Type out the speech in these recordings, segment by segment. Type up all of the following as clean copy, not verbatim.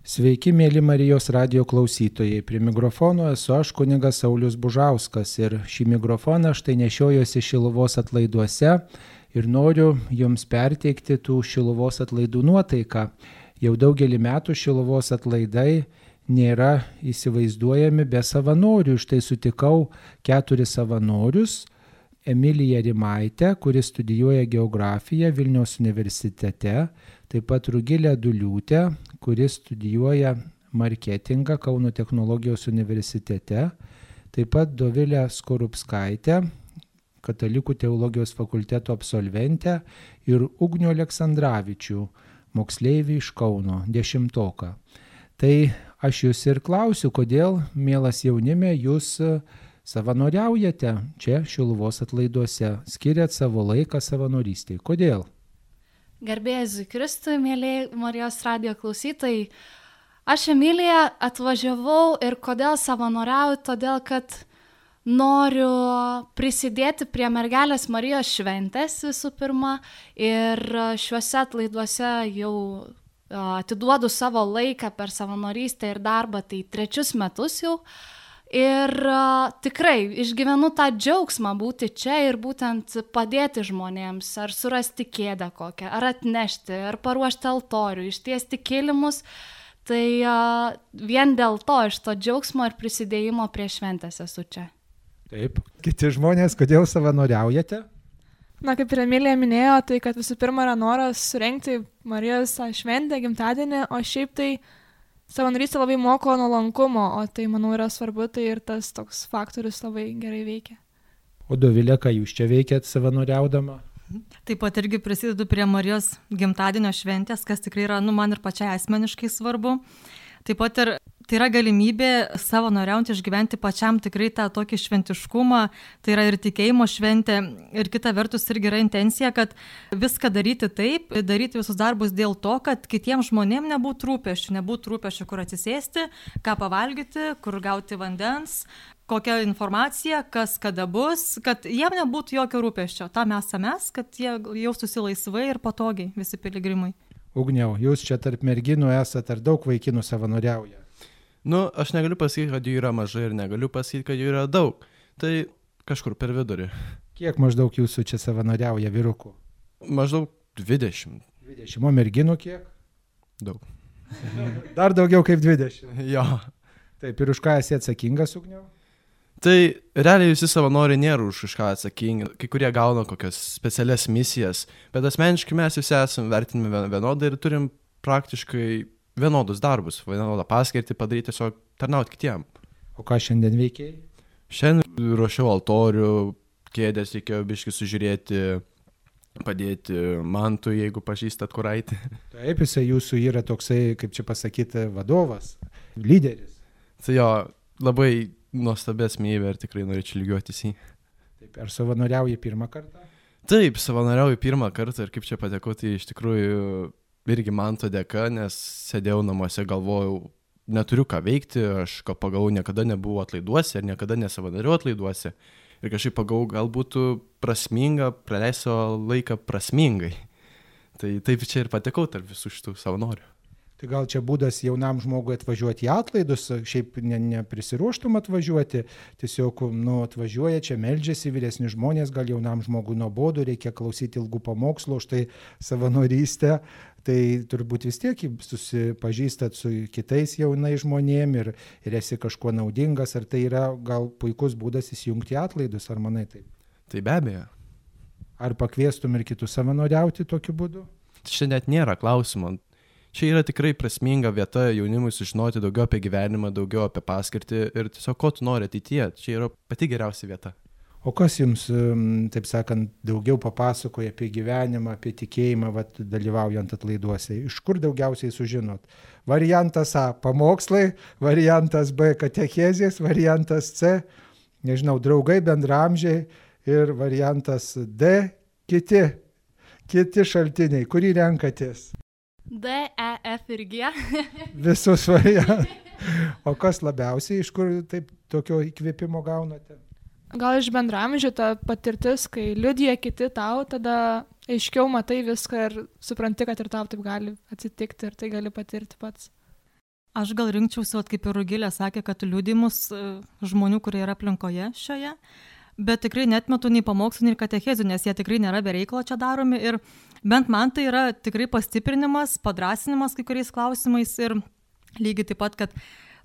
Sveiki, mėly Marijos radijo klausytojai. Prie mikrofono esu aš, kunigas Saulius Bužauskas, ir šį mikrofoną štai nešiojuosi Šiluvos atlaiduose ir noriu jums perteikti tų Šiluvos atlaidų nuotaiką. Jau daugelį metų Šiluvos atlaidai nėra įsivaizduojami be savanorių. Štai sutikau 4 savanorius. Emiliją Rimaitę, kuris studijuoja geografiją Vilniaus universitete, taip pat Rugilę Duliūtę, kuris studijuoja marketingą Kauno technologijos universitete, taip pat Dovilę Skorupskaitę, Katalikų teologijos fakulteto absolventę, ir Ugnių Aleksandravičių, moksleivį iš Kauno, 10-oką. Tai aš jūs ir klausiu, kodėl, mielas jaunime, jūs savanoriaujate čia Šiluvos atlaiduose, skiriat savo laiką savanorystei. Kodėl? Garbė Jėzui Kristui, mėly Marijos radijo klausytojai. Aš, Emilija, atvažiavau ir kodėl savanoriauju, todėl kad noriu prisidėti prie Mergelės Marijos šventės visų pirma, ir šiuose atlaiduose jau atiduodu savo laiką per savanorystę ir darbą, tai 3 metus jau. Ir tikrai išgyvenu tą džiaugsmą būti čia ir būtent padėti žmonėms, ar surasti kėdę kokią, ar atnešti, ar paruošti altorių, ištiesti kilimus. Tai vien dėl to, iš to džiaugsmo ir prisidėjimo prie šventės esu čia. Taip. Kiti žmonės, kodėl savanoriaujate? Na, kaip ir Emilija minėjo, tai kad visų pirma yra noras surengti Marijos šventę, gimtadienį, o šiaip tai savanorystė labai moko nuolankumo, o tai, manau, yra svarbu, tai ir tas toks faktorius labai gerai veikia. O Dovilė, ką jūs čia veikiat savanoriaudama? Taip pat irgi prisidedu prie Marijos gimtadienio šventės, kas tikrai yra, man ir pačiai asmeniškai svarbu. Taip pat ir tai yra galimybė savanoriaujant išgyventi pačiam tikrai tą tokį šventiškumą, tai yra ir tikėjimo šventė, ir kita vertus irgi yra intencija, kad viską daryti taip, daryti visus darbus dėl to, kad kitiems žmonėms nebūtų rūpesčių, kur atsisėsti, ką pavalgyti, kur gauti vandens, kokia informacija, kas kada bus, kad jiem nebūtų jokio rūpesčio. Tam esame mes, kad jie jaustųsi laisvai ir patogiai visi piligrimai. Ugniau, jūs čia tarp merginų esate, ar daug vaikinų savanoriauja? Aš negaliu pasakyti, kad jų yra mažai, ir negaliu pasakyti, kad jų yra daug. Tai kažkur per vidurį. Kiek maždaug jūsų čia savanoriauja vyrukų? Maždaug 20. 20. O merginų kiek? Daug. Dar daugiau kaip 20. Jo. Taip, ir už ką esi atsakingas, Ugniau? Tai realiai visi savanoriai nėra už ką atsakingi. Kai kurie gauna kokias specialias misijas, bet asmeniškai mes visi esame vertinami vienodai ir turim praktiškai vienodus darbus, vienodą paskirtį padaryti, tiesiog tarnauti kitiem. O ką šiandien veikiai? Šiandien ruošiau altorių, kėdės reikėjo biškį sužiūrėti, padėti Mantui, jeigu pažįstat Kuraitį. Taip, jisai jūsų yra toksai, kaip čia pasakyti, vadovas, lyderis. Tai jo, labai nuostabi asmenybė ir tikrai norėčiau lygiuotis į. Taip, ar savanoriauji pirmą kartą? Taip, savanoriauju pirmą kartą, ir kaip čia patekau, tai iš tikrųjų irgi Manto dėka, nes sėdėjau namuose, galvojau, neturiu ką veikti, aš pagalvojau, niekada nebuvau atlaiduose ir niekada nesavanoriau atlaiduose. Ir kažkaip pagalvojau, gal būtų prasminga praleisti savo laiką prasmingai. Tai taip čia ir patekau tarp visų šitų savanorių. Tai gal čia būdas jaunam žmogui atvažiuoti į atlaidus, šiaip neprisiruoštum atvažiuoti, tiesiog atvažiuoja čia, meldžiasi vyresni žmonės, gal jaunam žmogui nuobodu, reikia klausyti ilgų pamokslų, štai savanorystę, tai turbūt vis tiek susipažįstat su kitais jaunais žmonėm ir esi kažkuo naudingas, ar tai yra gal puikus būdas įsijungti į atlaidus, ar manai taip? Tai be abejo. Ar pakviestum ir kitus savanoriauti tokiu būdu? Čia net nėra klausimo. Čia yra tikrai prasminga vieta jaunimui sužinoti daugiau apie gyvenimą, daugiau apie paskirtį ir tiesiog ko tu nori ateityje. Čia yra pati geriausia vieta. O kas jums, taip sakant, daugiau papasakoja apie gyvenimą, apie tikėjimą, dalyvaujant atlaiduose? Iš kur daugiausiai sužinot? Variantas A – pamokslai, variantas B – katechezės, variantas C – nežinau, draugai, bendraamžiai ir variantas D – kiti šaltiniai. Kurį renkatės? D, E, F ir G. Visus variantus. O kas labiausiai, iš kur taip tokio įkvėpimo gaunate? Gal iš bendraamžių ta patirtis, kai liudija kiti tau, tada aiškiau matai viską ir supranti, kad ir tau taip gali atsitikti ir tai gali patirti pats. Aš gal rinkčiausi, kaip ir Rugilė sakė, kad liudimus žmonių, kurie yra aplinkoje šioje, bet tikrai netmetu nei pamokslų, nei katechezių, nes jie tikrai nėra be reikalo čia daromi ir bent man tai yra tikrai pastiprinimas, padrasinimas kai kuriais klausimais ir lygiai taip pat, kad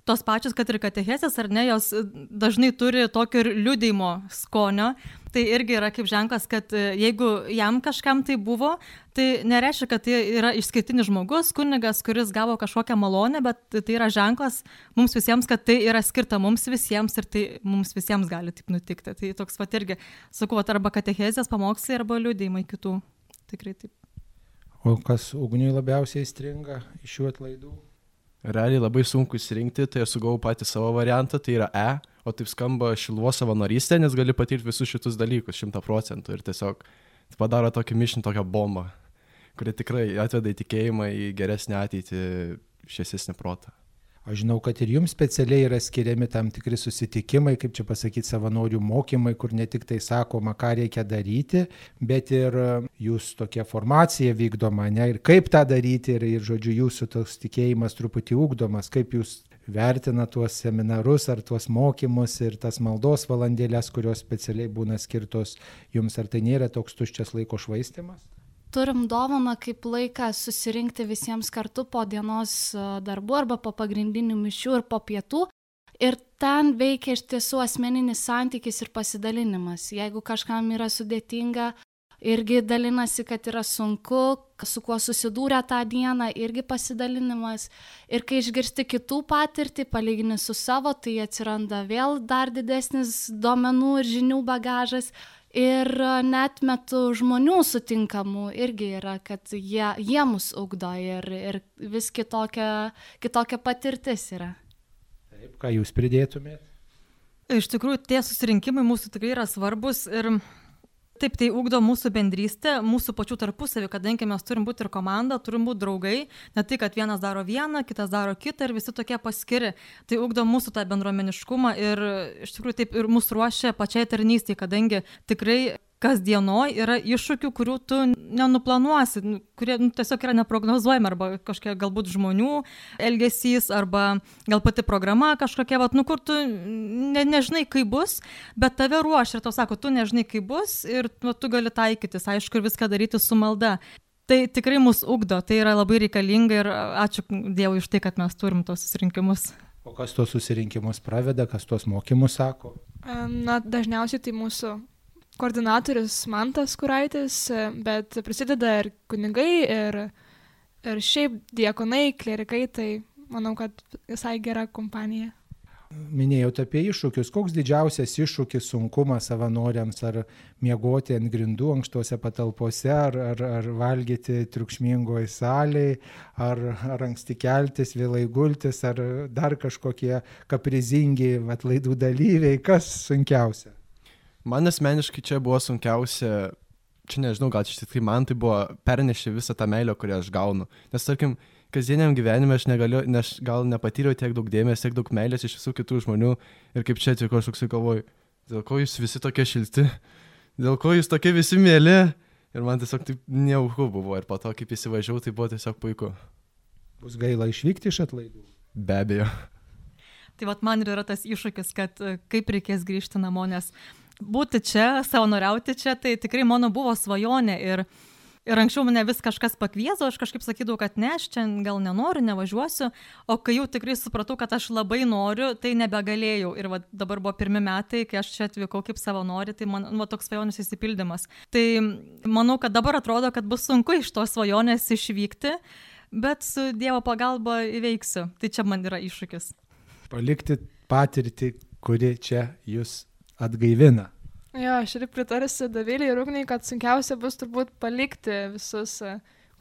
tos pačios, kad ir katechezės, ar ne, jos dažnai turi tokio ir liudijimo skonio. Tai irgi yra kaip ženklas, kad jeigu jam kažkam tai buvo, tai nereiškia, kad tai yra išskirtinis žmogus, kunigas, kuris gavo kažkokią malonę, bet tai yra ženklas mums visiems, kad tai yra skirta mums visiems ir tai mums visiems gali taip nutikti. Tai toks pat irgi, sakau, arba katechezės pamokslai, arba liudijimai kitų. Tikrai taip. O kas Ugniui labiausiai stringa iš šių atlaidų? Realiai labai sunku įsirinkti, tai aš sugavau patį savo variantą, tai yra E, o taip skamba Šiluvos savanorystė, nes gali patirti visus šitus dalykus 100% ir tiesiog padaro tokį mišinį, tokią bombą, kuri tikrai atveda į tikėjimą, į geresnę ateitį, šviesesnį protą. Aš žinau, kad ir jums specialiai yra skiriami tam tikri susitikimai, kaip čia pasakyti, savanorių mokymai, kur ne tik tai sakoma, ką reikia daryti, bet ir jūs tokia formacija vykdoma, ne, ir kaip tą daryti, ir žodžiu, jūsų toks tikėjimas truputį ugdomas, kaip jūs vertina tuos seminarus ar tuos mokymus ir tas maldos valandėlės, kurios specialiai būna skirtos jums, ar tai nėra toks tuščias laiko švaistimas? Turim dovaną kaip laiką susirinkti visiems kartu po dienos darbų arba po pagrindinių mišių ir po pietų. Ir ten veikia iš tiesų asmeninis santykis ir pasidalinimas. Jeigu kažkam yra sudėtinga, irgi dalinasi, kad yra sunku, su kuo susidūrė tą dieną, irgi pasidalinimas. Ir kai išgirsti kitų patirtį, palygini su savo, tai atsiranda vėl dar didesnis duomenų ir žinių bagažas. Ir net metu žmonių sutinkamų irgi yra, kad jie mus ugdo ir vis kitokia patirtis yra. Taip, ką jūs pridėtumėte? Iš tikrųjų, tie susirinkimai mūsų tikrai yra svarbus ir taip, tai ugdo mūsų bendrystę, mūsų pačių tarpusavį, kadangi mes turim būti ir komanda, turim būti draugai, ne tai, kad vienas daro vieną, kitas daro kitą ir visi tokie paskiri. Tai ugdo mūsų tą bendruomeniškumą ir iš tikrųjų taip ir mus ruošia pačiai tarnystei, kadangi tikrai kasdienoj yra iššūkių, kurių tu nenuplanuosi, kurie tiesiog yra neprognozuojami, arba kažkokie galbūt žmonių elgesys, arba gal pati programa kažkokia, kur tu nežinai, kaip bus, bet tave ruošia ir tau sako, tu nežinai, kaip bus ir tu gali taikytis, aišku, ir viską daryti su malda. Tai tikrai mus ugdo, tai yra labai reikalinga ir ačiū Dievui už tai, kad mes turim tos susirinkimus. O kas tos susirinkimus praveda, kas tos mokymus sako? Dažniausiai tai mūsų koordinatorius Mantas Kuraitis, bet prisideda ir kunigai, ir šiaip diakonai, klerikai, tai manau, kad visai gera kompanija. Minėjote apie iššūkius. Koks didžiausias iššūkis, sunkumas savanoriams, ar miegoti ant grindų ankštose patalpose, ar valgyti triukšmingoje salėje, ar anksti keltis, vėlai gultis, ar dar kažkokie kaprizingi atlaidų dalyviai, kas sunkiausia? Man asmeniškai čia buvo sunkiausia, čia nežinau, gal čia tikrai man tai buvo pernešti visą tą meilę, kurią aš gaunu. Nes tarkim, kasdieniam gyvenime aš gal nepatyriau tiek daug dėmesio, tiek daug meilės iš visų kitų žmonių ir kaip čia atvyko aš toksai galvoju, dėl ko jūs visi tokie šilti, dėl ko jūs tokie visi mėly ir man tiesiog taip nejauku buvo ir po to kaip įsivažiavau, tai buvo tiesiog puiku. Bus gaila išvykti iš atlaidų? Be abejo. Tai man ir yra tas iššūkis, kad kaip reikės grįžti namo, nes būti čia, savanoriauti čia, tai tikrai mano buvo svajonė ir anksčiau mane vis kažkas pakviesdavo, aš kažkaip sakydavau, kad ne, aš čia gal nenoriu, nevažiuosiu, o kai jau tikrai supratau, kad aš labai noriu, tai nebegalėjau ir dabar buvo 1 metai, kai aš čia atvykau kaip savanori, tai man toks svajonės įsipildymas. Tai manau, kad dabar atrodo, kad bus sunku iš tos svajonės išvykti, bet su Dievo pagalba įveiksiu. Tai čia man yra iššūkis. Palikti patirtį, kuri čia jūs atgaivina. Jo, aš ir pritarsiu Dovilei ir Ugniai, kad sunkiausia bus turbūt palikti visus,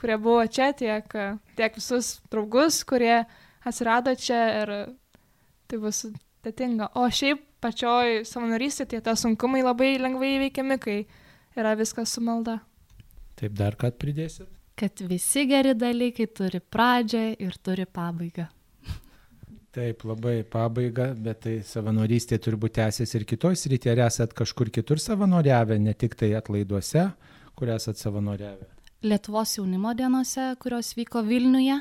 kurie buvo čia, tiek visus draugus, kurie atsirado čia ir tai bus sudėtinga. O šiaip pačioj savanorystė tie sunkumai labai lengvai įveikiami, kai yra viskas su malda. Taip, dar ką pridėsit? Kad visi geri dalykai turi pradžią ir turi pabaigą. Taip, labai pabaiga, bet tai savanorystė turbūt tęsis ir kitoj srityje. Ar esat kažkur kitur savanoriavę, ne tik tai atlaiduose, kur esat savanoriavę? Lietuvos jaunimo dienose, kurios vyko Vilniuje.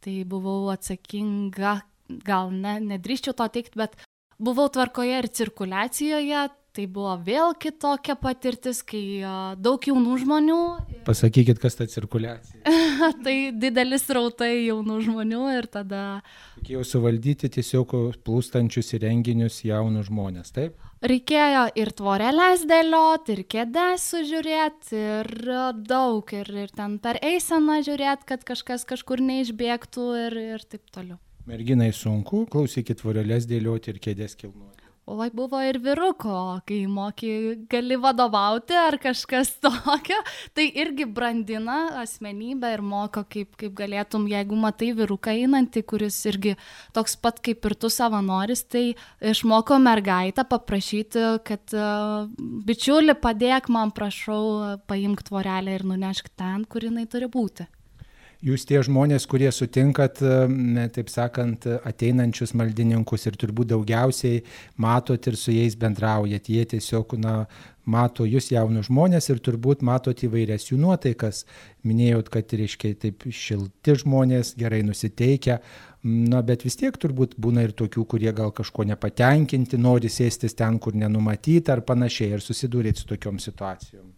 tai buvau atsakinga, gal nedrįščiau to teikti, bet buvau tvarkoje ir cirkuliacijoje. Tai buvo vėl kitokia patirtis, kai daug jaunų žmonių. Pasakykit, kas ta cirkuliacija. Tai didelis rautai jaunų žmonių ir tada... Reikėjo suvaldyti tiesiog plūstančius į renginius jaunus žmonės, taip? Reikėjo ir tvorelės dėlioti, ir kėdes sužiūrėti, ir daug, ir ten per eiseną žiūrėti, kad kažkas kažkur neišbėgtų ir taip toliau. Merginai sunku, klausykit, tvorelės dėlioti ir kėdes kilnuoti. Oi, buvo ir vyruko, kai moki gali vadovauti ar kažkas tokio, tai irgi brandina asmenybę ir moko, kaip galėtum, jeigu matai vyruką einantį, kuris irgi toks pat kaip ir tu savanoris, tai išmoko mergaitę paprašyti, kad bičiuli padėk man, prašau, paimk tvorelę ir nunešk ten, kur jinai turi būti. Jūs tie žmonės, kurie sutinkat, taip sakant, ateinančius maldininkus ir turbūt daugiausiai matot ir su jais bendraujat. Jie tiesiog, mato jūs jaunus žmonės ir turbūt matot įvairias jų nuotaikas. Minėjot, kad reiškia taip šilti žmonės, gerai nusiteikę, bet vis tiek turbūt būna ir tokių, kurie gal kažko nepatenkinti, nori sėstis ten, kur nenumatyta ar panašiai, ir susidūrėt su tokiom situacijom.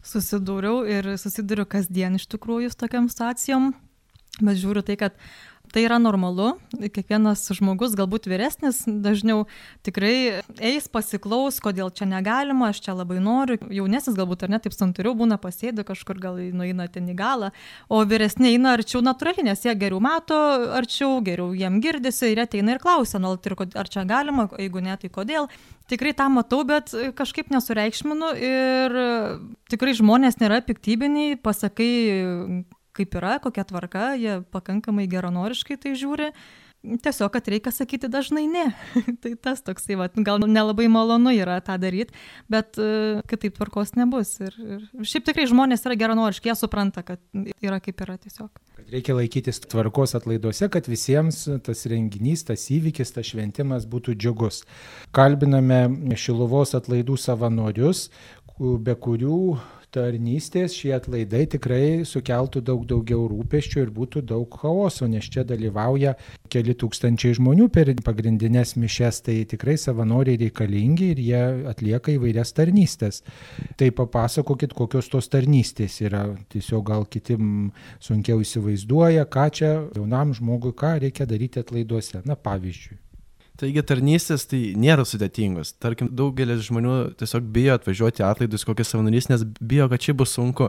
Susidūriau ir susiduriu kasdien iš tikrųjų su tokiam situacijom, bet žiūriu tai, kad tai yra normalu, kiekvienas žmogus, galbūt vyresnis, dažniau tikrai eis pasiklaus, kodėl čia negalima, aš čia labai noriu, jaunesnis galbūt ar ne, taip santūriau būna, pasėdi kažkur, gal nueina ten į galą, o vyresni eina arčiau natūraliai, nes jie geriau mato arčiau, geriau jiem girdisi ir ateina ir klausia, ar čia galima, jeigu ne, tai kodėl. Tikrai tą matau, bet kažkaip nesureikšminu ir tikrai žmonės nėra piktybiniai, pasakai, kaip yra, kokia tvarka, jie pakankamai geranoriškai tai žiūri. Tiesiog, kad reikia sakyti dažnai ne. Tai tas toksai, gal nelabai malonu yra tą daryti, bet kitaip tvarkos nebus. Ir šiaip tikrai žmonės yra geranoriški, jie supranta, kad yra kaip yra tiesiog. Kad reikia laikytis tvarkos atlaiduose, kad visiems tas renginys, tas įvykis, tas šventimas būtų džiugus. Kalbiname Šiluvos atlaidų savanorius, be kurių tarnystės šie atlaidai tikrai sukeltų daug daugiau rūpesčių ir būtų daug chaoso, nes čia dalyvauja keli tūkstančiai žmonių per pagrindinės mišias, tai tikrai savanoriai reikalingi ir jie atlieka įvairias tarnystės. Tai papasakokit, kokios tos tarnystės yra, tiesiog gal kiti sunkiau įsivaizduoja, ką čia jaunam žmogui, ką reikia daryti atlaiduose, pavyzdžiui. Taigi tarnystės tai nėra sudėtingos. Tarkim, daugelis žmonių tiesiog bijo atvažiuoti atlaidus kokias savanorys, nes bijo, kad čia bus sunku.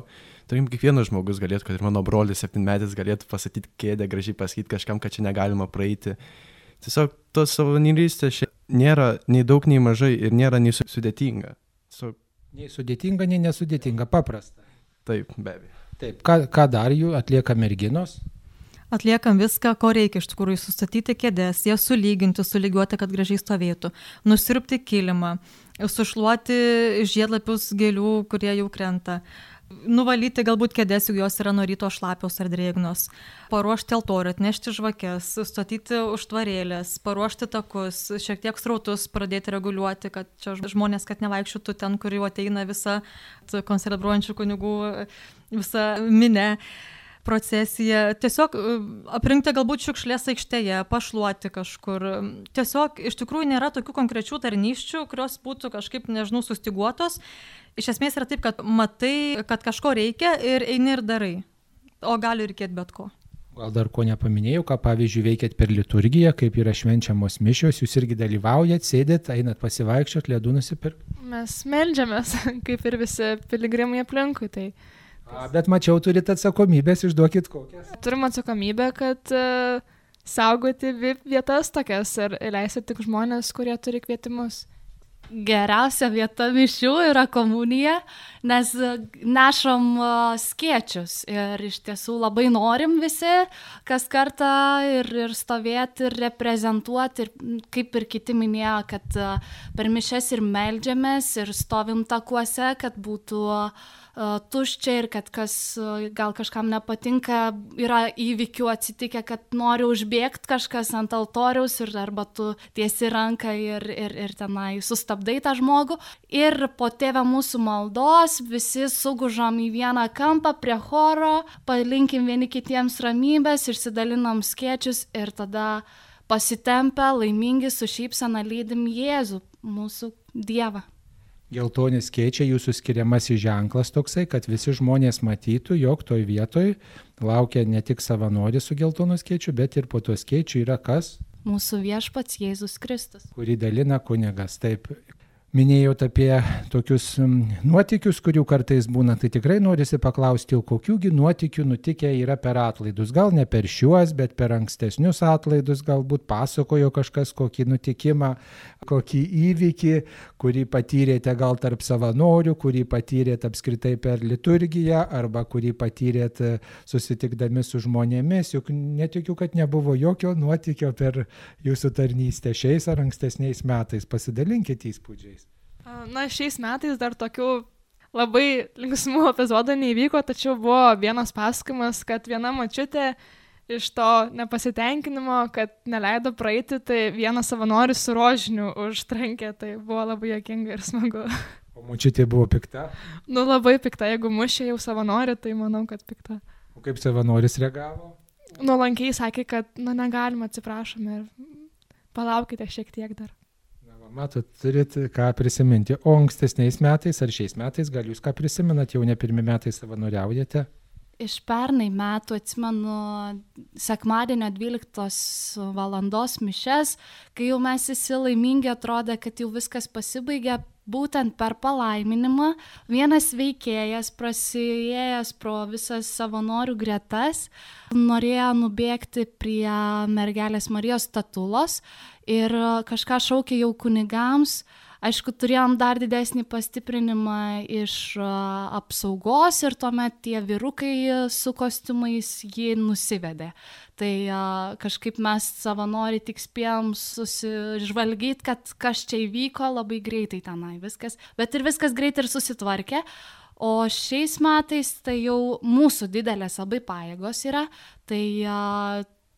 Tarkim, kiekvienas žmogus galėtų, kad ir mano brolis 7-metis galėtų pasakyti kėdę, gražiai pasakyti kažkam, kad čia negalima praeiti. Tiesiog tos savanorystės nėra nei daug, nei mažai ir nėra nei sudėtinga. Nei sudėtinga, nei nesudėtinga, paprasta. Taip, be abejo. Taip, ką dar jų atlieka merginos? Atliekam viską, ko reikia iš tikrųjų, sustatyti kėdes, jas sulyginti, sulygiuoti, kad gražiai stovėtų, nusirpti kilimą, sušluoti žiedlapius gėlių, kurie jau krenta, nuvalyti galbūt kėdes, jeigu jos yra nuo ryto šlapios ar drėgnos, paruošti altorių, atnešti žvakes, statyti užtvarėlės, paruošti takus, šiek tiek srautus pradėti reguliuoti, kad čia žmonės, kad nevaikščiotų ten, kur jau ateina visa koncelebruojančių kunigų, visa minė. Procesija, tiesiog aprinkti galbūt šiukšlės aikštėje, pašluoti kažkur. Tiesiog iš tikrųjų nėra tokių konkrečių tarnysčių, kurios būtų kažkaip, nežinau, sustiguotos. Iš esmės yra taip, kad matai, kad kažko reikia ir eini ir darai. O gali reikėti bet ko. Gal dar ko nepaminėjau, ką pavyzdžiui veikėt per liturgiją, kaip yra švenčiamos mišios, jūs irgi dalyvaujat, sėdėt, einat pasivaikščiot, ledų nusipirkt? Mes meldžiamės, kaip ir visi piligrimai aplinkui, tai... Bet mačiau, turit atsakomybės, išduokit kokias. Turim atsakomybę, kad saugoti vietas tokias ir leisti tik žmonės, kurie turi kvietimus. Geriausia vieta mišių yra komunija, nes nešam skėčius ir iš tiesų labai norim visi kas kartą ir stovėti ir reprezentuoti ir kaip ir kiti minėjo, kad per mišias ir meldžiamės ir stovim takuose, kad būtų tuščia ir kad kas gal kažkam nepatinka, yra įvykių atsitikę, kad nori užbėgti kažkas ant altoriaus ir arba tu tiesi ranką ir tenai sustabdai tą žmogų. Ir po Tėve mūsų maldos visi sugužom į vieną kampą prie choro, palinkim vieni kitiems ramybės, išsidalinam skėčius ir tada pasitempę, laimingi, su šypsena lydim Jėzų, mūsų Dievą. Geltoni skėčiai jūsų skiriamasis ženklas toksai, kad visi žmonės matytų, jog toj vietoj laukia ne tik savanoris su geltonu skėčiu, bet ir po to skėčiu yra kas? Mūsų viešpats Jėzus Kristus. Kurį dalina kunigas. Taip, minėjot apie tokius nuotykius, kurių kartais būna, tai tikrai norisi paklausti, jau kokiųgi nuotykių nutikę yra per atlaidus. Gal ne per šiuos, bet per ankstesnius atlaidus, galbūt pasakojo kažkas kokį nutikimą, kokį įvykį, kurį patyrėte gal tarp savanorių, kurį patyrėte apskritai per liturgiją, arba kurį patyrėte susitikdami su žmonėmis. Juk netikiu, kad nebuvo jokio nuotykio per jūsų tarnystę šiais ar ankstesniais metais. Pasidalinkite įspūdžiais. Na, šiais metais dar tokių labai linksmų epizodų neįvyko, tačiau buvo vienas pasakojimas, kad viena močiutė iš to nepasitenkinimo, kad neleido praeiti, tai vienas savanoris su rožiniu užtrankė, tai buvo labai juokinga ir smagu. O močiutė buvo pikta? Nu, labai pikta, jeigu mušė jau savanorį, tai manau, kad pikta. O kaip savanoris reagavo? Nuolankiai sakė, kad negalima, atsiprašome ir palaukite šiek tiek dar. Matot, turit ką prisiminti. O ankstesniais metais ar šiais metais, gal jūs ką prisimenat, jau ne pirmi metai savanoriaujate? Iš pernai metų atsimenu sekmadienio 12 valandos mišes, kai jau mes visi laimingi, atrodė, kad jau viskas pasibaigė. Būtent per palaiminimą vienas veikėjas, prasiėjęs pro visas savanorių gretas, norėjo nubėgti prie mergelės Marijos statulos ir kažką šaukė jau kunigams. Aišku, turėjom dar didesnį pastiprinimą iš apsaugos ir tuomet tie vyrukai su kostiumais jį nusivedė. Tai kažkaip mes savanoriai tik spėjom susižvalgyti, kad kas čia įvyko labai greitai tenai viskas. Bet ir viskas greitai ir susitvarkė. O šiais metais tai jau mūsų didelės labai pajėgos yra. Tai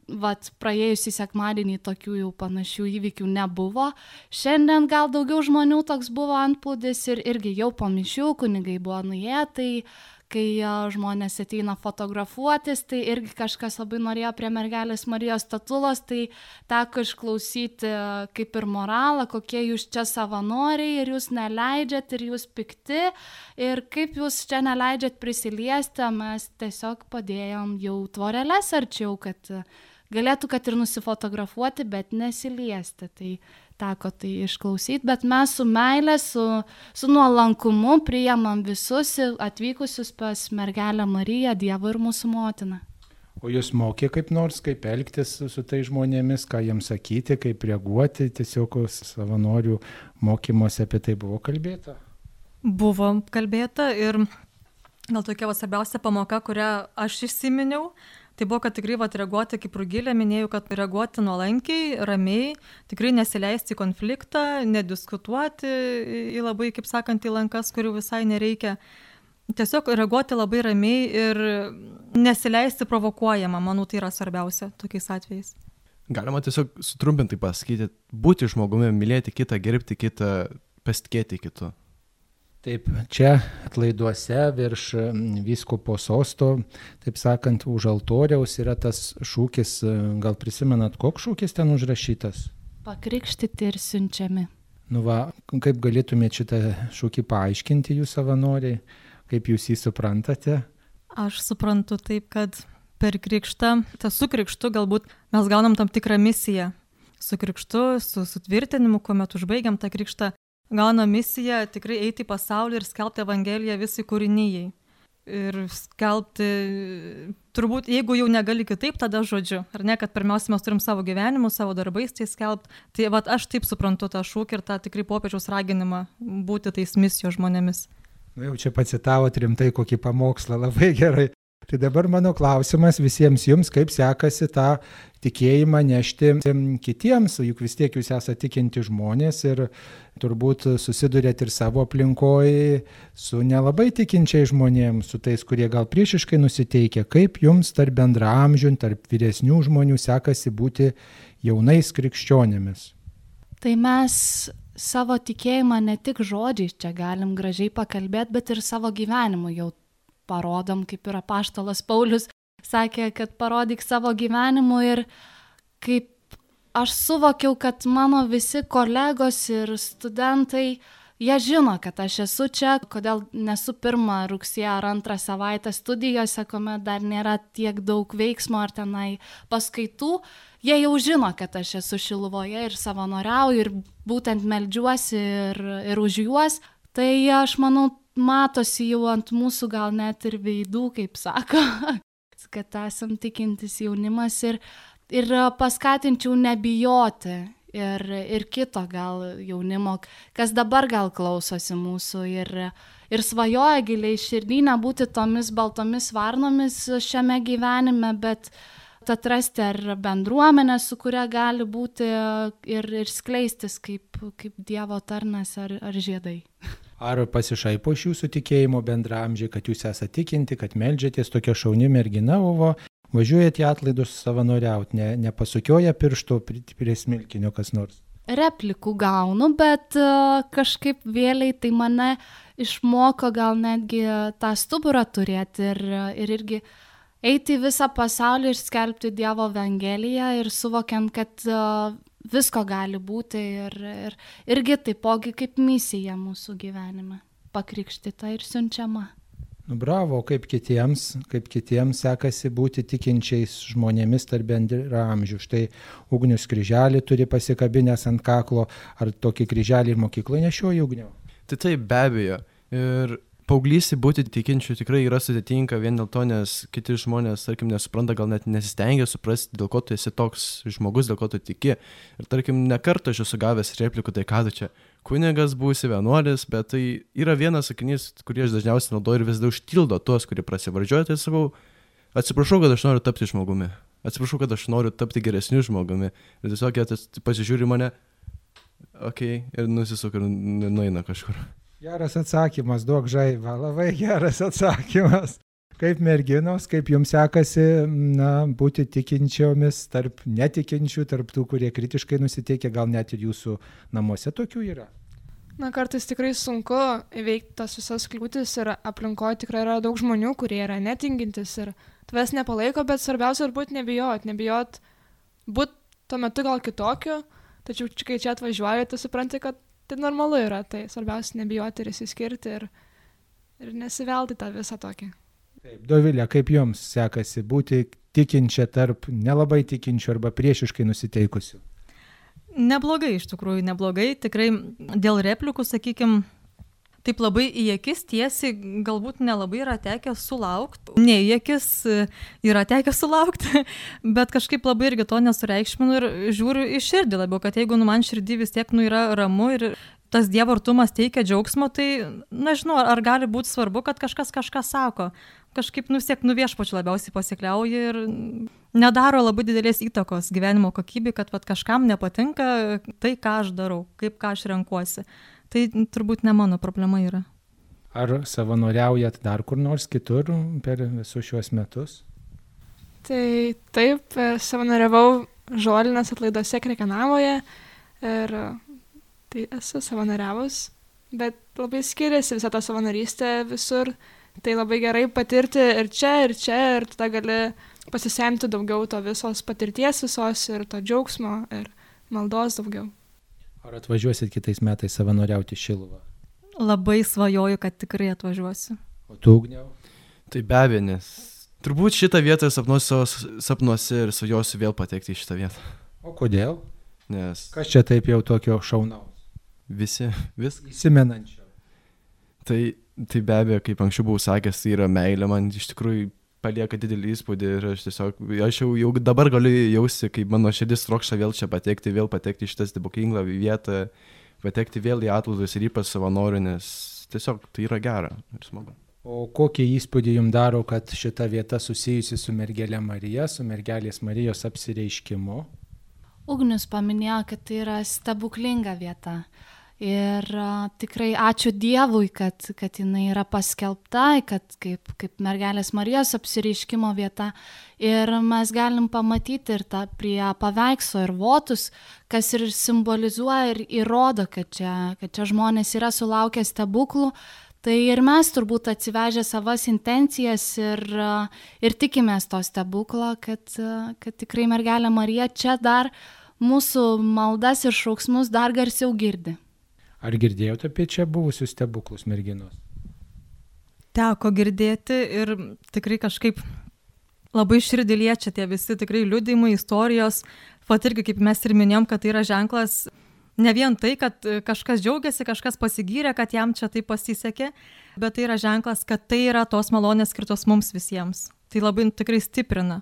praėjusį sekmadienį tokių jau panašių įvykių nebuvo. Šiandien gal daugiau žmonių toks buvo antplūdis ir irgi jau po mišių kunigai buvo nuėję, tai kai žmonės ateina fotografuotis, tai irgi kažkas labai norėjo prie mergelės Marijos statulos, tai teko išklausyti kaip ir moralą, kokie jūs čia savanoriai ir jūs neleidžiat ir jūs pikti ir kaip jūs čia neleidžiat prisiliesti, mes tiesiog padėjom jau tvoreles arčiau, kad galėtų kad ir nusifotografuoti, bet nesiliesti. Tai teko tai išklausyti, bet mes su meilė, su nuolankumu priimam visus atvykusius pas mergelę Mariją, Dievą ir mūsų motiną. O jūs mokė kaip nors, kaip elgtis su tai žmonėmis, ką jiems sakyti, kaip reaguoti, tiesiog savanorių mokymuose apie tai buvo kalbėta? Buvo kalbėta ir gal tokia svarbiausia pamoka, kurią aš įsiminiau, tai buvo, kad tikrai reaguoti, kaip Rugilė minėjau, kad reaguoti nuolankiai, ramiai, tikrai nesileisti į konfliktą, nediskutuoti į labai, kaip sakant, į lankas, kurių visai nereikia. Tiesiog reaguoti labai ramiai ir nesileisti provokuojama, manau, tai yra svarbiausia tokiais atvejais. Galima tiesiog sutrumpintai pasakyti, būti žmogumi, mylėti kitą, gerbti kitą, pasitikėti kitu. Taip, čia atlaiduose virš vyskupo sosto, taip sakant, už altoriaus yra tas šūkis, gal prisimenat, koks šūkis ten užrašytas? Pakrikštyti ir siunčiami. Nu va, kaip galėtumėte šitą šūkį paaiškinti jūs savanoriai, kaip jūs jį suprantate? Aš suprantu taip, kad per krikštą, su krikštu galbūt mes gaunam tam tikrą misiją. Su krikštu, su sutvirtinimu, kuomet užbaigiam tą krikštą, gauna misiją tikrai eiti į pasaulį ir skelbti Evangeliją visai kūrinijai. Ir skelbti, turbūt, jeigu jau negali kitaip, tada žodžiu. Ar ne, kad pirmiausia mes turim savo gyvenimus, savo darbais tai skelbti. Tai aš taip suprantu tą šūkį ir tą tikrai popiežiaus raginimą būti tais misijos žmonėmis. Jau čia pacitavot rimtai kokį pamokslą, labai gerai. Tai dabar mano klausimas visiems jums, kaip sekasi tą tikėjimą nešti kitiems, juk vis tiek jūs esate tikinti žmonės ir turbūt susidurėt ir savo aplinkoje su nelabai tikinčiai žmonėms, su tais, kurie gal priešiškai nusiteikia. Kaip jums tarp bendraamžių, tarp vyresnių žmonių sekasi būti jaunais krikščionėmis? Tai mes savo tikėjimą ne tik žodžiais čia galim gražiai pakalbėti, bet ir savo gyvenimu jau parodom, kaip ir apaštalas Paulius sakė, kad parodyk savo gyvenimu ir kaip aš suvokiau, kad mano visi kolegos ir studentai, jie žino, kad aš esu čia, kodėl nesu 1 rugsėjo ar 2 savaitę studijose, kuomet dar nėra tiek daug veiksmo ar tenai paskaitų, jie jau žino, kad aš esu Šiluvoje ir savanoriauju ir būtent meldžiuosi ir už juos. Tai aš manau, matosi jau ant mūsų gal net ir veidų, kaip sako, kad esam tikintis jaunimas ir paskatinčiau nebijoti ir kito gal jaunimo, kas dabar gal klausosi mūsų ir svajoja giliai širdį nebūti tomis baltomis varnomis šiame gyvenime, bet atrasti ar bendruomenę, su kuria gali būti ir skleistis kaip Dievo tarnas ar žiedai. Ar pasišaipo iš jūsų tikėjimo bendraamžiai, kad jūs esate tikinti, kad meldžiatės, tokia šauni mergina, o važiuojate į atlaidus savanoriauti, nepasukioja piršto prie smilkinio kas nors? Replikų gaunu, bet kažkaip vėliai tai mane išmoko gal netgi tą stuburą turėti ir irgi eiti į visą pasaulį ir skelbti Dievo evangeliją ir suvokiant, kad visko gali būti ir irgi taipogi kaip misija mūsų gyvenime, pakrikštyta ir siunčiama. Bravo, kaip kitiems sekasi būti tikinčiais žmonėmis tarp bendraamžių. Štai Ugnius kryželį turi pasikabinęs ant kaklo, ar tokį kryželį ir mokykloje nešioji, Ugniau? Tai taip, be abejo. Ir paauglystė būti tikinčiu tikrai yra sudėtinga vien dėl to, nes kiti žmonės, tarkim, nesupranta, gal net nesistengia suprasti, dėl ko tu esi toks žmogus, dėl ko tu tiki. Ir tarkim, ne kartą aš esu gavęs replikų, tai ką tu čia, kunigas būsi, vienuolis, bet tai yra vienas sakinys, kurį aš dažniausiai naudoju ir vis dar užtildo tuos, kurie prasivardžiuoja, tai sakau, atsiprašau, kad aš noriu tapti žmogumi, atsiprašau, kad aš noriu tapti geresniu žmogumi. Ir tiesiog jie pasižiūri mane, okei, ir nusisuka ir nueina kažkur. Geras atsakymas, duok žaibą, labai geras atsakymas. Kaip merginos, kaip jums sekasi būti tikinčiomis tarp netikinčių, tarp tų, kurie kritiškai nusiteikia, gal net ir jūsų namuose tokių yra? Kartais tikrai sunku įveikti tas visas kliūtis ir aplinkoje tikrai yra daug žmonių, kurie yra netingintis ir tavęs nepalaiko, bet svarbiausia ir būti nebijot būti tuo metu gal kitokiu, tačiau kai čia atvažiuoji, tu supranti, kad tai normalu yra, tai svarbiausia nebijoti ir įsiskirti ir nesivelti tą visą tokį. Taip, Dovilė, kaip jums sekasi būti tikinčia tarp nelabai tikinčių arba priešiškai nusiteikusių? Neblogai, iš tikrųjų, neblogai. Tikrai dėl replikų, sakykime, taip labai į akis tiesiai galbūt nelabai yra tekę sulaukti. Ne į akis yra tekę sulaukti, bet kažkaip labai irgi to nesureikšminu ir žiūriu į širdį labiau, kad jeigu man širdį vis tiek yra ramu ir tas Dievo artumas teikia džiaugsmo, tai nežinau, ar gali būti svarbu, kad kažkas kažką sako. Kažkaip siek viešpačiu labiausiai pasikliauja ir nedaro labai didelės įtakos gyvenimo kokybei, kad kažkam nepatinka tai, ką aš darau, ką aš renkuosi. Tai turbūt ne mano problema yra. Ar savanoriaujat dar kur nors kitur per visus šiuos metus? Tai taip, savanoriavau Žolinės atlaiduose Krekenavoje ir tai esu savanoriavus, bet labai skiriasi visą tą savanorystę visur. Tai labai gerai patirti ir čia, ir tada gali pasisemti daugiau to visos patirties visos ir to džiaugsmo ir maldos daugiau. Ar atvažiuosit kitais metais savanoriauti Šiluvą? Labai svajoju, kad tikrai atvažiuosiu. O tu, Ugniau? Tai be abejo, nes turbūt šitą vietą sapnuose ir svajosiu vėl patekti į šitą vietą. O kodėl? Nes kas čia taip jau tokio šaunaus? Viskas. Įsimenančio. Tai be abejo, kaip anksčiau buvau sakęs, tai yra meilė, man iš tikrųjų palieka didelį įspūdį ir aš jau dabar galiu jausti, kaip mano širdis trokšta vėl čia patekti į šitą stebuklingą vietą, patekti vėl į atlaidus ir ypač savanorių, nes tiesiog tai yra gera ir smagu. O kokį įspūdį jums daro, kad šita vieta susijusi su mergelė Marija, su mergelės Marijos apsireiškimu? Ugnius paminėjo, kad tai yra stebuklinga vieta. Ir tikrai ačiū Dievui, kad jinai yra paskelbta, kad kaip mergelės Marijos apsireiškimo vieta. Ir mes galim pamatyti ir tą prie paveikslo ir votus, kas ir simbolizuoja ir įrodo, kad čia žmonės yra sulaukę stebuklų. Tai ir mes turbūt atsivežę savas intencijas ir tikimės to stebuklo, kad tikrai mergelė Marija čia dar mūsų maldas ir šauksmus dar garsiau girdi. Ar girdėjote apie čia buvusius stebuklus merginos? Teko girdėti ir tikrai kažkaip labai širdį liečia tie visi tikrai liudijimai, istorijos. Pat irgi, kaip mes ir minėjom, kad tai yra ženklas ne vien tai, kad kažkas džiaugiasi, kažkas pasigyrė, kad jam čia tai pasisekė, bet tai yra ženklas, kad tai yra tos malonės skirtos mums visiems. Tai labai tikrai stiprina.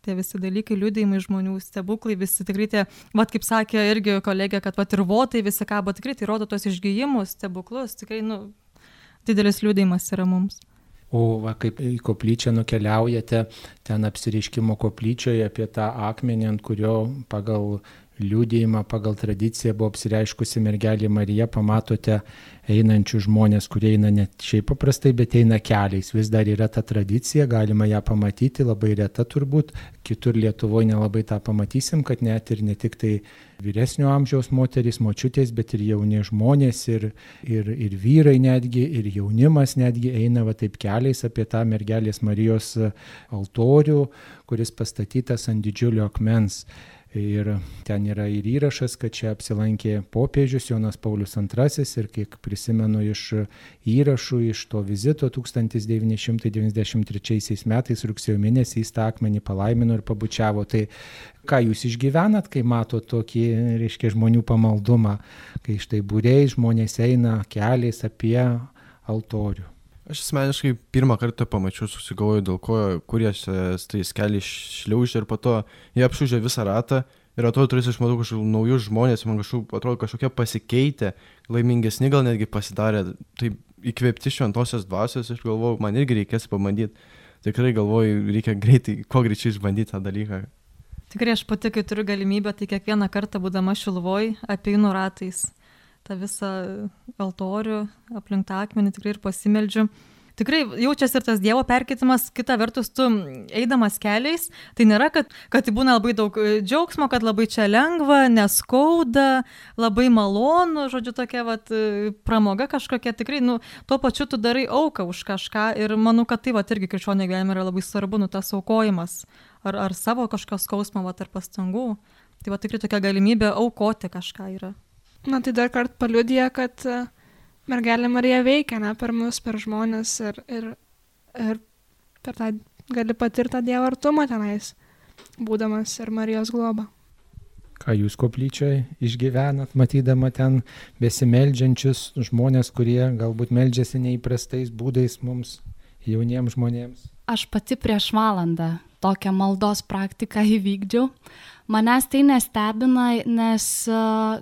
Tie visi dalykai, liudijimai žmonių, stebuklai, visi tikrai tie, kaip sakė irgi kolegė, kad ir votai visi kabo, tikrai tai rodo tos išgijimus, stebuklus, tikrai, didelis liudijimas yra mums. O kaip į koplyčią nukeliaujate, ten apsireiškimo koplyčioje apie tą akmenį, ant kurio pagal liudijimą, pagal tradiciją buvo apsireiškusi mergelė Marija, pamatote einančių žmonės, kurie eina ne šiaip paprastai, bet eina keliais. Vis dar yra ta tradicija, galima ją pamatyti, labai reta turbūt. Kitur Lietuvoje nelabai tą pamatysim, kad net ir ne tik tai vyresnio amžiaus moterys, močiutės, bet ir jauni žmonės, ir vyrai netgi, ir jaunimas netgi eina taip keliais apie tą mergelės Marijos altorių, kuris pastatytas ant didžiulio akmens. Ir ten yra ir įrašas, kad čia apsilankė popiežius Jonas Paulius II ir kiek prisimenu iš įrašų, iš to vizito 1993 metais rugsėjo mėnesį jis tą akmenį palaimino ir pabučiavo. Tai ką jūs išgyvenat, kai mato tokį, reiškia, žmonių pamaldumą, kai štai būriai žmonės eina keliais apie altorių? Aš asmeniškai pirmą kartą pamačiau, susigalvoju, dėl ko, kur jie tais keliais šliaužė ir po to jie apšūžė visą ratą ir atrodo, turės išmatau kažkokius naujus žmonės, man atrodo kažkokie pasikeitę, laimingesni gal netgi pasidarė, tai įkvėpti šventosios dvasios ir galvoju, man irgi reikės pabandyti. Tikrai galvoju, reikia greitai, kuo greičiau išbandyti tą dalyką. Tikrai aš pati, kai turiu galimybę, tai kiekvieną kartą būdama Šiluvoj apeinu ratais tą visą altorių, aplink tą akmenį tikrai ir pasimeldžiu. Tikrai jaučiasi ir tas Dievo perkeitimas, kita vertus tu eidamas keliais, tai nėra, kad tai būna labai daug džiaugsmo, kad labai čia lengva, neskauda, labai malonu, žodžiu, tokia pramoga kažkokia, tikrai, tuo pačiu tu darai auką už kažką ir manau, kad tai irgi krikščionio gyvenime yra labai svarbu, tas aukojimas, ar savo kažkokios skausmo, ar pastangų. Tai tikrai tokia galimybė aukoti kažką yra. Tai dar kart paliudija, kad mergelė Marija veikia, per mus, per žmonės ir per tą gali patirti tą Dievo artumą tenais, būdamas ir Marijos globa. Ką jūs koplyčioje išgyvenat, matydama ten besimeldžiančius žmonės, kurie galbūt meldžiasi neįprastais būdais mums, jauniems žmonėms? Aš pati prieš valandą tokią maldos praktiką įvykdžiau. Manęs tai nestebina, nes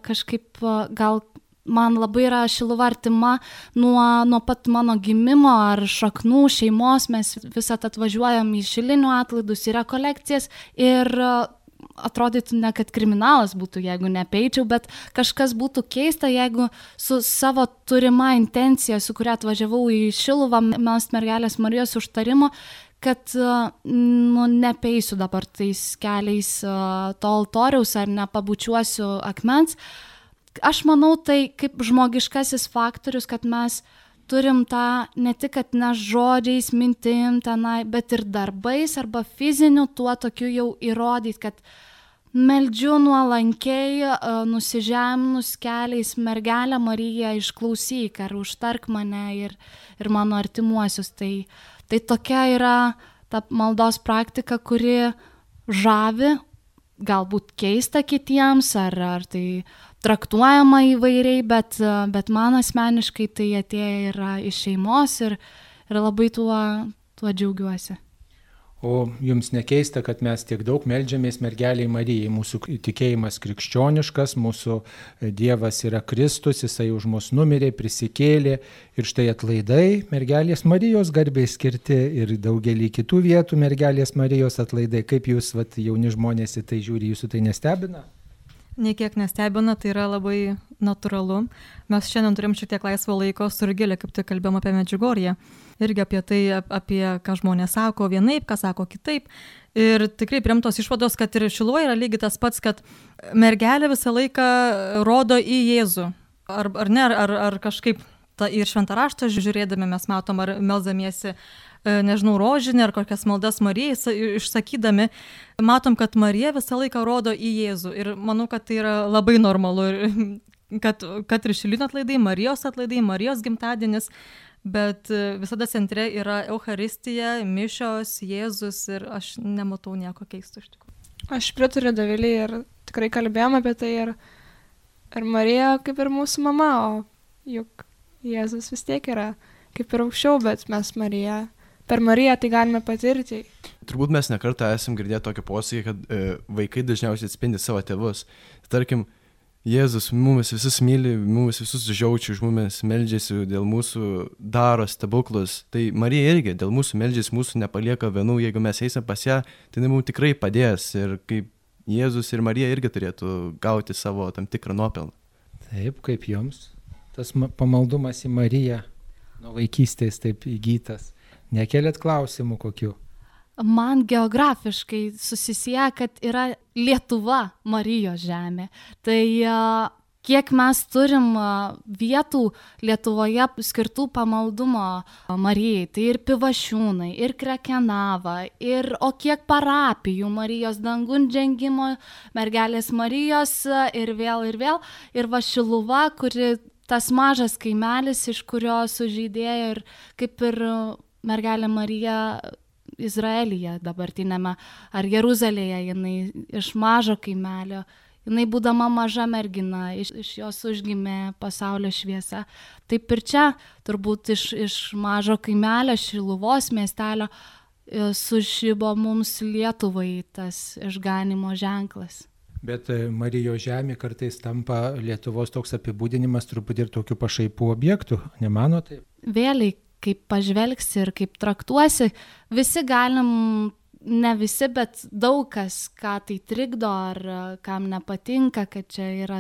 kažkaip gal man labai yra Šiluva artima nuo pat mano gimimo ar šaknų šeimos. Mes visat atvažiuojam į šilinių atlaidus, į rekolekcijas ir atrodytų ne, kad kriminalas būtų, jeigu neapeičiau, bet kažkas būtų keista, jeigu su savo turima intencija, su kuria atvažiavau į Šiluvą, melst mergelės Marijos užtarimo, kad nepeisiu dabar tais keliais to altoriaus ar nepabučiuosiu akmens. Aš manau, tai kaip žmogiškasis faktorius, kad mes turim tą ne tik, kad ne žodžiais, mintim tenai, bet ir darbais arba fiziniu tuo tokiu jau įrodyti, kad meldžiu nuolankiai, nusižeminus keliais, mergelę Mariją išklausyk ar užtark mane ir mano artimuosius. Tai tokia yra ta maldos praktika, kuri žavi, galbūt keista kitiems, ar tai traktuojama įvairiai, bet man asmeniškai tai atėję yra iš šeimos ir labai tuo džiaugiuosi. O jums nekeista, kad mes tiek daug meldžiamės mergeliai Marijai. Mūsų tikėjimas krikščioniškas, mūsų Dievas yra Kristus, Jisai už mus numirė, prisikėlė. Ir štai atlaidai mergelės Marijos garbei skirti ir daugelį kitų vietų mergelės Marijos atlaidai. Kaip jūs, jauni žmonės, į tai žiūri, jūsų tai nestebina? Niekiek nestebina, tai yra labai natūralu. Mes šiandien turim šiek tiek laisvo laiko su Rugile, kaip tik kalbėjom apie Medžiugorję. Irgi apie tai, apie ką žmonės sako vienaip, ką sako kitaip. Ir tikrai priimtos išvados, kad ir Šiluvoje yra lygiai tas pats, kad mergelė visą laiką rodo į Jėzų. Ar kažkaip ir šventą raštą žiūrėdami mes matom, ar melzdamiesi, nežinau, rožinį ar kokias maldas Marijai išsakydami, matom, kad Marija visą laiką rodo į Jėzų. Ir manau, kad tai yra labai normalu. Ir kad ir Šilinių atlaidai, Marijos atlaidai, Marijos gimtadienis, bet visada centre yra Eucharistija, mišios, Jėzus ir aš nematau nieko keisto iš tikrųjų. Aš pritariu Dovilei ir tikrai kalbėjom apie tai ir Marija kaip ir mūsų mama, o juk Jėzus vis tiek yra kaip ir aukščiau, bet mes per Mariją tai galime patirti. Turbūt mes nekartą esam girdėję tokį posakį, kad vaikai dažniausiai atspindi savo tėvus. Tarkim, Jėzus mumis visus myli, mumis visus žiaučia, už mumis meldžiasi, dėl mūsų daro stebuklus. Tai Marija irgi dėl mūsų meldžiasi, mūsų nepalieka vienų, jeigu mes eisim pas ją, tai mums tikrai padės. Ir kaip Jėzus ir Marija irgi turėtų gauti savo tam tikrą nuopelną. Taip, kaip jums. Tas pamaldumas į Mariją nuo vaikystės taip įgytas. Nekeliat klausimų kokių? Man geografiškai susisieja, kad yra Lietuva Marijos žemė. Tai kiek mes turim vietų Lietuvoje skirtų pamaldumo Marijai, tai ir Pivašiūnai, ir Krekenava, o kiek parapijų Marijos dangun žengimo, mergelės Marijos ir vėl. Ir va Šiluva, kuri tas mažas kaimelis, iš kurio sužydėjo ir kaip ir mergelė Marija Izraelyje dabartinėme, ar Jeruzalėje, jinai iš mažo kaimelio, jinai būdama maža mergina, iš jos užgimė pasaulio šviesa. Taip ir čia turbūt iš mažo kaimelio, Šiluvos miestelio, sužibo mums Lietuvai tas išganimo ženklas. Bet Marijos žemė kartais tampa Lietuvos toks apibūdinimas truputį ir tokių pašaipų objektų, nemano taip? Vėliai, kaip pažvelgsi ir kaip traktuosi, visi galim, ne visi, bet daug kas, ką tai trikdo ar kam nepatinka, kad čia yra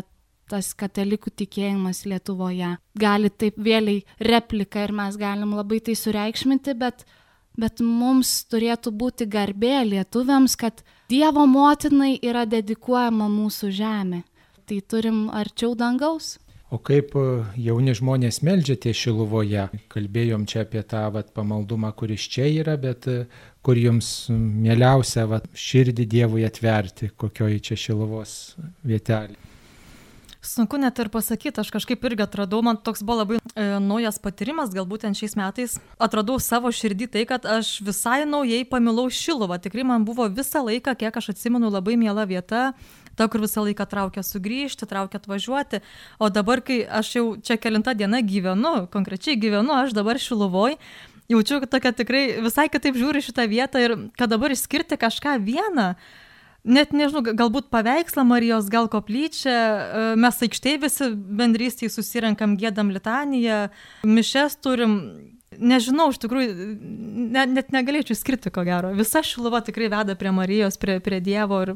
tas katalikų tikėjimas Lietuvoje. Gali taip vėliai replika ir mes galim labai tai sureikšminti, bet mums turėtų būti garbė lietuviams, kad Dievo motinai yra dedikuojama mūsų žemė. Tai turim arčiau dangaus. O kaip jauni žmonės meldžiate Šiluvoje? Kalbėjom čia apie tą pamaldumą, kuris čia yra, bet kur jums mieliausia širdį Dievui atverti, kokioje čia Šiluvos vietelė? Sunku net ir pasakyti, aš kažkaip irgi atradau, man toks buvo labai naujas patyrimas, galbūt šiais metais atradau savo širdį tai, kad aš visai naujai pamilau Šiluvą. Tikrai man buvo visą laiką, kiek aš atsimenu, labai miela vieta, ta, kur visą laiką traukia sugrįžti, traukia atvažiuoti. O dabar, kai aš jau čia kelintą dieną konkrečiai gyvenu, aš dabar Šiluvoj, jaučiu, kad tokia tikrai visai kitaip žiūri šitą vietą ir kad dabar išskirti kažką vieną, net nežinau, galbūt paveikslą Marijos, gal koplyčią, mes aikštėje visi bendrystėje susirenkam, giedam litaniją, mišes turim, nežinau, iš tikrųjų, net negalėčiau skirti ko gero. Visa Šiluva tikrai veda prie Marijos, prie Dievo ir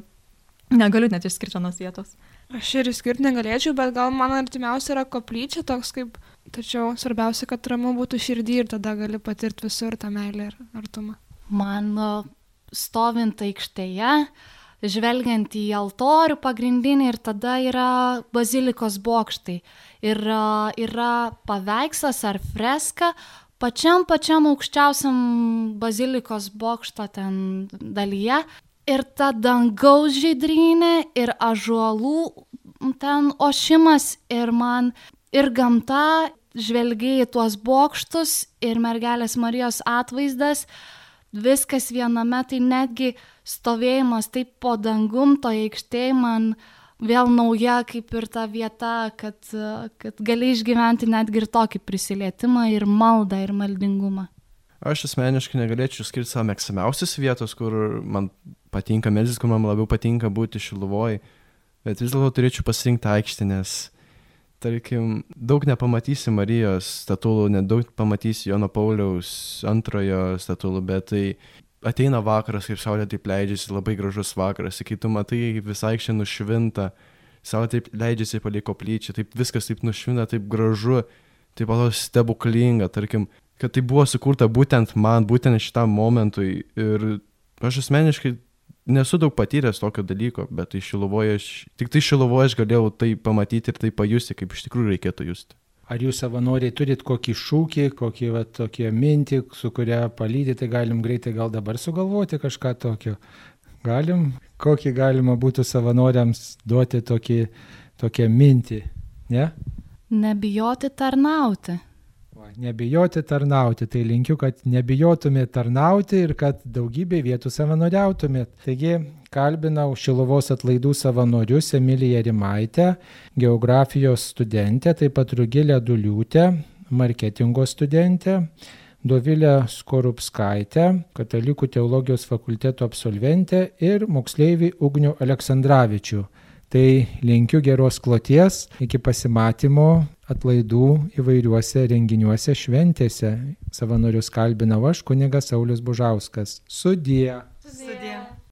negaliu net išskirti vienos vietos. Aš ir išskirti negalėčiau, bet gal man artimiausia yra koplyčia toks kaip, tačiau svarbiausia, kad ramu būtų širdį ir tada gali patirti visur tą meilę ir artumą. Man stovint aikštėje, žvelgiant į altorių pagrindinį ir tada yra bazilikos bokštai. Ir yra paveikslas ar freska pačiam aukščiausiam bazilikos bokšto ten dalyje. Ir ta dangaus žydrynė ir ąžuolų ten ošimas ir man ir gamta, žvelgiai į tuos bokštus ir mergelės Marijos atvaizdas, viskas viename, tai netgi stovėjimas taip po dangum, to aikštėje man vėl nauja kaip ir ta vieta, kad gali išgyventi netgi ir tokį prisilietimą ir maldą ir maldingumą. Aš asmeniškai negalėčiau skirti savo mėgstamiausios vietos, kur man patinka melstis, kur man labiau patinka būti Šiluvoj, bet vis dėlto turėčiau pasirinkti aikštę, nes, tarkim, daug nepamatysi Marijos statulų, nedaug pamatysi Jono Pauliaus antrojo statulų, bet tai ateina vakaras, kaip saulė taip leidžiasi, labai gražus vakaras, kai tu matai visą aikštę nušvinta, saulė taip leidžiasi palei koplyčią, taip viskas taip nušvinta, taip gražu, taip pat stebuklinga, tarkim, kad tai buvo sukurta būtent man, būtent šitam momentui ir aš asmeniškai nesu daug patyręs tokio dalyko, bet tai tik tai Šiluvoje aš galėjau tai pamatyti ir tai pajusti, kaip iš tikrųjų reikėtų justi. Ar jūs savanoriai turit kokį šūkį, kokį tokią mintį, su kuria palydyti, tai galim greitai gal dabar sugalvoti kažką tokio? Galim? Kokį galima būtų savanoriams duoti tokią mintį, ne? Nebijoti tarnauti. Nebijoti tarnauti, tai linkiu, kad nebijotumėt tarnauti ir kad daugybė vietų savanoriautumėt. Taigi kalbinau Šiluvos atlaidų savanorius Emiliją Rimaitę, geografijos studentę, taip pat Rugilę Duliūtę, marketingo studentę, Dovilę Skorupskaitę, Katalikų teologijos fakulteto absolventę ir moksleivį Ugnių Aleksandravičių. Tai linkiu geros kloties, iki pasimatymo atlaidų įvairiuose renginiuose šventėse. Savanorius kalbinau aš, kunigas Saulius Bužauskas. Sudie. Sudie.